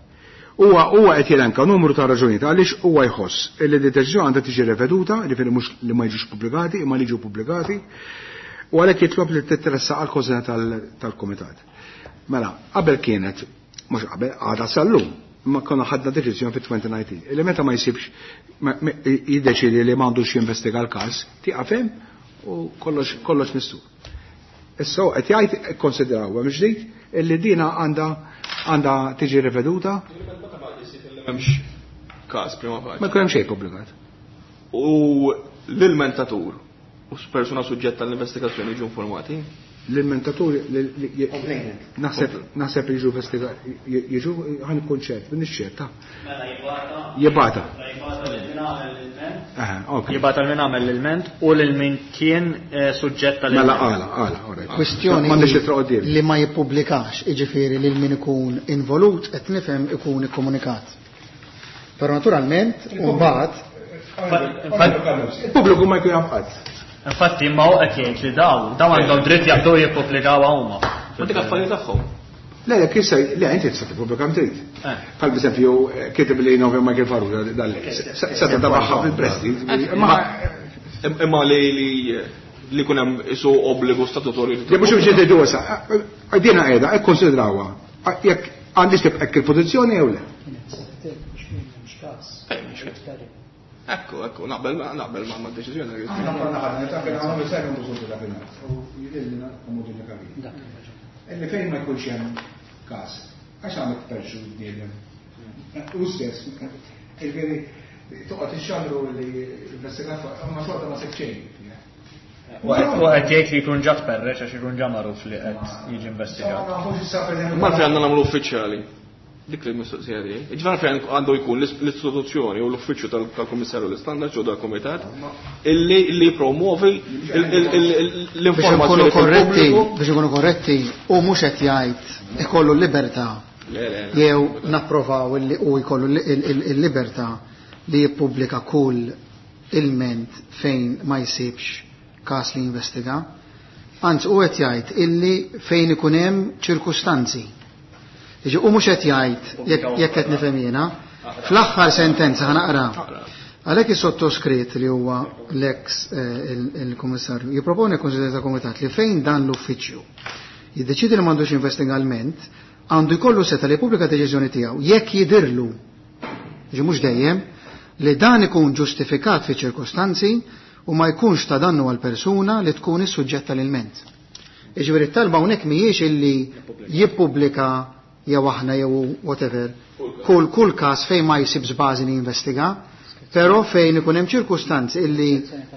Huwa qed jelenka numru ta' raġunijiet għaliex huwa jħoss illi d-deċiżjoni għandha tiġi reveduta, jiġifieri mhux li ma jiġux pubblikati, imma li jiġu pubblikati, u għalhekk jitlob li titressaq għal konsena tal-kumitat. Mela, qabel kienet, mhux qabel, għadha sal-lum, imma konna ħadna deċiżjoni fit-2019. Illi meta ma jsibx jiddeċiedi li m'għandux jinvestiga l-każ, tieqaf hemm u kollox mistur. Issa qed jgħid ikkonsidraw hemm ġdid illi dina għandha tiġi riveduta. M'hemmx każ prima facie. Ma jkun hemm xejn pubblikat. U l-ilmentatur u persuna suġġetta għall-investigazzjoni jiġu informati? L-ilmentatur naħseb jiġu investigati, jiġu ħan ikun ċert, minn ċert, ta' Mela jibata. Jibata. Jibata lil min għamel l-ilment. Aha, ok. Jibata lil min għamel l-ilment u lil min kien suġġett għall-ilment. Mela għala, għala, all right. Kwestjoni M'għandix ittra quddiem. li ma jippubblikax, jiġifieri lil min ikun involut qed nifhem ikun ikkomunikat. Però naturalment, mbagħad il-pubbliku ma jkun jaf qatt. Infatti, ma hu qed jgħid li daw għandhom dritt jaqbdu jippubblikaw huma. Ma dik affarijiet tagħhom. Le, le, kif se, le, inti tista' tippubblika trid. Bħal b'eżempju, kiteb li Novi Michael Farrugia dal se tadabaħħa fil-presti. Ma imma li kun hemm isu obbligu statutorju li Le, mhux biex jgħidu issa, dina qiegħda, ikkonsidrawha. Jekk għandix tibqa' hekk il-pożizzjoni jew le? Ekku, ekku, naqbel ma' deċiżjoni li Aħna konna ħadna, ta' kien għamlu sajru mbużu ta' kien. U jidhirli naqgħu din il-kabina. Illi fejn ma jkunx hemm każ, għax għandek perxu bniedem. U stess, jiġifieri toqgħod ixxandru li investigat fuq, ma xorta ma seħħ xejn. U qed jgħid li jkun ġa tperreċ għax ikun ġa magħruf li qed jiġi investigat. Ma fejn għandna nagħmlu uffiċjali. Dik li mistoqsija tiegħi. Jiġifieri fejn għandu jkun l-istituzzjoni u l-uffiċċju tal-Kummissarju l-Istandards u dal-Kumitat illi promuovi l-informazzjoni Biex ikunu korretti, fil-pubbliku. biex ikunu korretti, u mhux qed jgħid ikollu l-libertà Le, le, le. jew napprovaw illi hu jkollu il-libertà li jippubblika kull ilment fejn ma jsibx każ li jinvestiga. Anzi, hu qed jgħid illi fejn ikun hemm ċirkustanzi. Jiġi, u mhux qed jgħid jekk qed nifhem jiena, fl-aħħar sentenza ħanaqra. Għalhekk is-sottoskritt li huwa l-ex il-Kummissarju jipproponi l-Kunsill ta' Kumitat li fejn dan l-uffiċċju jiddeċidi li m'għandux investigalment, għandu jkollu seta' li jippubblika deċiżjoni tiegħu jekk jidirlu, jiġi mhux dejjem, li dan ikun ġustifikat fi ċirkostanzi u ma jkunx ta' dannu għal persuna li tkun is-suġġett tal-ilment. Jiġifieri t-talba hawnhekk mhijiex illi jippubblika jew aħna jew whatever kull każ fejn ma jsibx bażi li jinvestiga, però fejn ikun hemm ċirkustanzi illi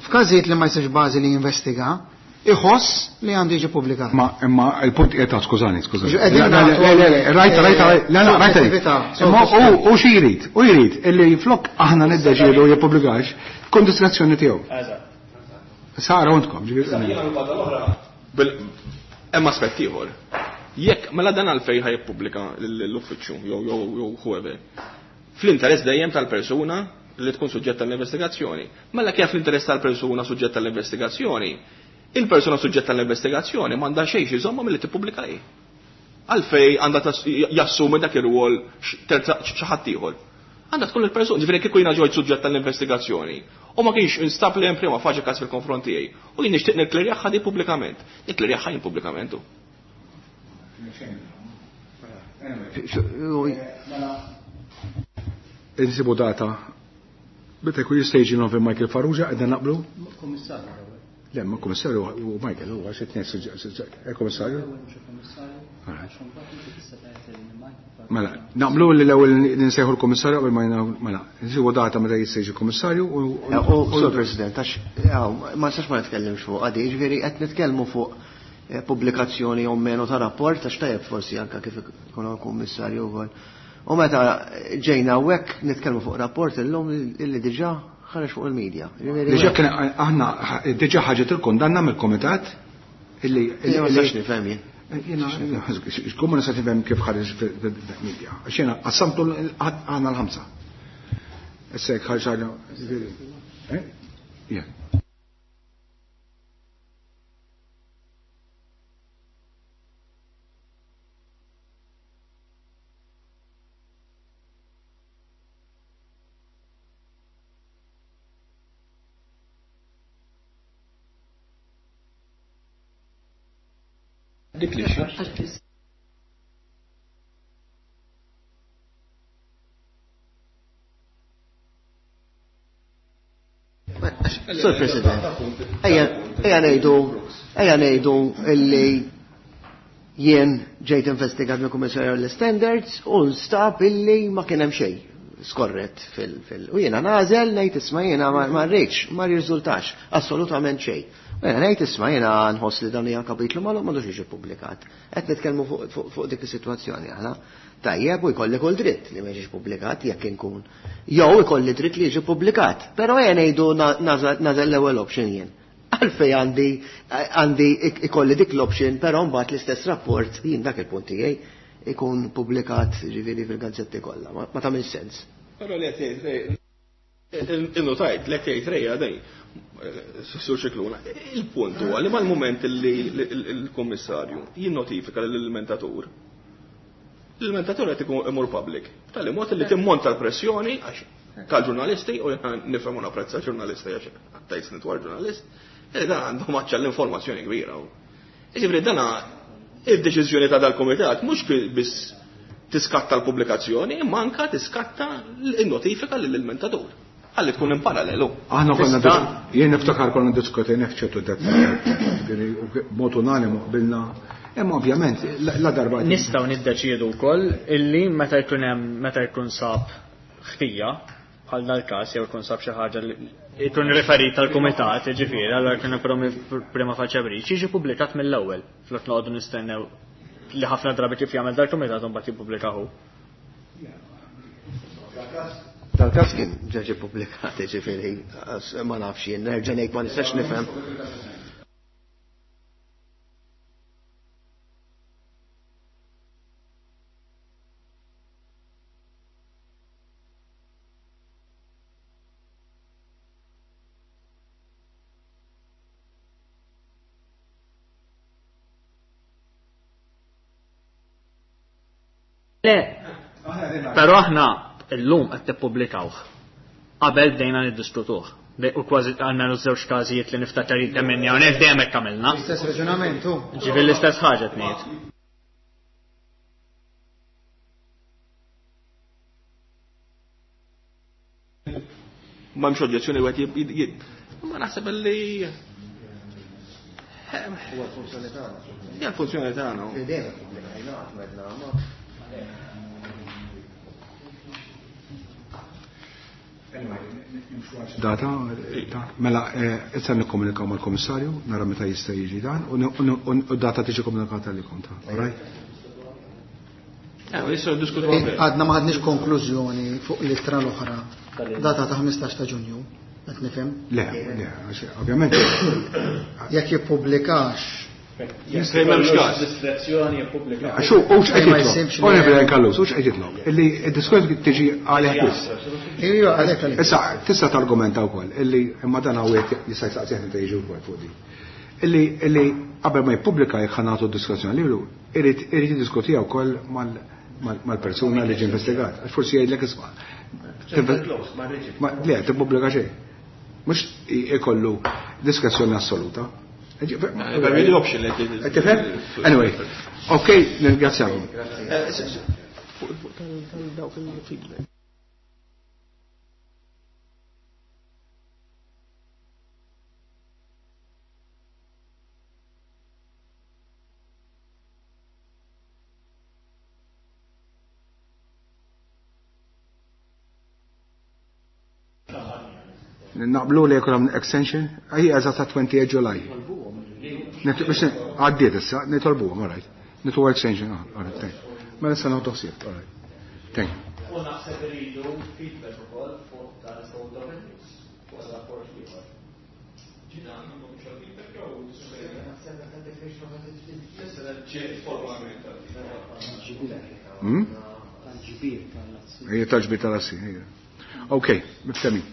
f'każijiet li ma jsibx bażi li jinvestiga, iħoss li għandu jiġi pubblikat. Ma imma il-punt qiegħed skużani, skużani. Qegħdin nagħtu, Le, le, rajta, rajta, le, le, rajta. sensittività, Imma u xi jrid, u jrid illi flok aħna niddeċiedu jippubblikax, tkun diskrezzjoni tiegħu. Eżatt. Sara għandkom, ġifieri. Hemm aspett ieħor. Jekk mela dan għalfejn ħa jippubblika l-uffiċċju jew whoever. Fl-interess dejjem tal-persuna li tkun suġġetta tal-investigazzjoni. Mela kif l-interess tal-persuna suġġetta tal-investigazzjoni, il-persuna suġġetta tal-investigazzjoni m'għandha xejn xi żomma milli tippubblika hi. Għalfej għandha jassumi dak ir-rwol terza xi ħadd ieħor. Għandha tkun il-persuna, ġifieri kieku jiena ġejt suġġett tal-investigazzjoni u ma kienx instab li hemm prima faċi każ fil-konfront tiegħi u jien nixtieq nikklirjaha di pubblikament. Nikklirjaha jien pubblikament hu. Insibu data. Meta jkun jista' jiġi nofem Michael Farrugia, qegħdin naqblu? Kummissarju. Le, ma kummissarju u Michael huwa xi tnejn kummissarju. Mela, naqblu li l-ewwel ninsejħu l-kummissarju qabel ma jingħu, mela, nsibu data meta jista' jiġi kummissarju u Sur President, għax ma nistax ma nitkellimx fuq għadi, jiġifieri qed nitkellmu fuq pubblikazzjoni jew menu ta' rapport, għax tajjeb forsi anke kif ikun hawn kummissarju wkoll. U meta ġejna hawnhekk nitkellmu fuq rapport illum illi diġà ħareġ fuq il-medja. Jiġifieri Diġà kien aħna diġà ħaġet il-kundanna mill-kumitat illi Jien ma nistax nifhem jien. Jiena, x'kum ma nistax nifhem kif ħareġ fil-medja. Għax jiena qassamtu aħna l-ħamsa. Issa jekk ħareġ ħaġa, jiġifieri, eh? Yeah. Dik li xi. Sur President, ejja ngħidu illi jien ġejt investigat mill-Kummissarju l-Standards u nstab illi ma kien hemm xejn skorret fil-, u jiena nagħżel ngħid isma' jiena ma rridx, ma rriżultax assolutament xejn. U jiena ngħid isma' jiena nħoss li dan hija kapitlu magħluq m'għandux jiġi ppubblikat. Qed nitkellmu fuq dik is-sitwazzjoni aħna. Tajjeb u jkolli kull dritt li ma jiġix ppubblikat jekk inkun. Jew ikolli dritt li jiġi ppubblikat, però ejja ngħidu nagħżel l-ewwel option jien. Għalfej għandi ikolli dik l-option, però mbagħad l-istess rapport jien dak il-punt tiegħi ikun pubblikat ġifieri fil-gazzetti kollha. Ma tagħmilx sens. Però li qed jgħid innotajt li qed jgħid Rejja dej, Sur Scicluna, il-punt huwa li mal-mument li l-kummissarju jinnotifika lill-ilmentatur, l-ilmentatur qed ikun imur public. Tali mod li timmonta l-pressjoni għax tal-ġurnalisti, u jien nifhem u napprezza ġurnalisti għax għattajt snin ġurnalist, li dan għandhom aċċell l-informazzjoni kbira. Jiġifieri dana id-deċiżjoni ta' dal-kumitat mhux biss tiskatta l-pubblikazzjoni, imma anka tiskatta l-notifika lill-ilmentatur. Ħalli tkun in parallelu. Aħna konna Tista' jien niftakar konna diskutejna f'ċertu dettall, b'mod unanimu qbilna, imma ovvjament la darba Nistgħu niddeċiedu wkoll illi meta jkun hemm, meta jkun sab ħtija bħal dal-każ jew jkun sab xi ħaġa li jkun riferit tal-kumitat, jiġifieri, allura jkun prima facie breach, jiġi ppubblikat mill-ewwel, flok noqogħdu nistennew li ħafna drabi kif jagħmel dal-kumitat u mbagħad jippubblikahu. Dal-każ kien ġeġi ppubblikat, jiġifieri, ma nafx jien, nerġa' ngħid ma nistax nifhem. Le, però aħna illum qed tippubblikawh. Qabel bdejna niddiskutuh. U kważi għandna żewġ każijiet li niftakar kemm minni hawnhekk dejjem hekk għamilna. L-istess raġunament hu. Ġifieri l-istess ħaġa qed ngħid. M'hemmx oġġezzjoni wieħed Ma naħseb li Huwa l-funzjoni tagħna. Hija l-funzjoni tagħna. Dejjem ippubblikajna qatt m'għedna ma. Data, mela, issa nikkomunikaw mal-komissarju, nara meta jista' jiġi dan, u data tiġi komunikata lilkom ta' all right? Għadna ma ħadniex konklużjoni fuq l-ittra l-oħra, data ta' 15 ta' Ġunju, qed nifhem? Le, le, għax ovvjament. Jekk jippubblikax. Fejn m'hemmx każ. Diskrezzjoni jippubblika. Għax hu hux qed jitlob. Onorevoli Callus, hux qed jitlob. Illi d-diskors tiġi għalih biss. Ejja, għalhekk għalhekk. Issa tista' targumenta wkoll illi imma dan hawn jista' jsaqsih meta jiġi wkoll fuq din. Illi illi qabel ma jippubblika jekk ħa nagħtu d-diskrezzjoni lilu, irid irid jiddiskutiha wkoll mal-persuna li ġie investigat. Għax forsi jgħidlek isma'. Le, tippubblika xejn. Mhux ikollu diskrezzjoni assoluta. Tifhem? Anyway, ok, nirringrazzjakom. Fuq il-feedback. Naqblu li jkun hemm extension, hija eżatt ta' 28 July. Biex għaddiet issa, nitolbuhom, all right. Nitolbu extension, all right, thank you. Mela issa nieħdu ħsieb, all right. Thank you. U naħseb iridu feedback ukoll fuq tal-Code of Ethics, fuq rapport ieħor. Tal-ġbir tal-assi. Ejja, tal-ġbir tal-assi, ejja. Ok, miftehmin.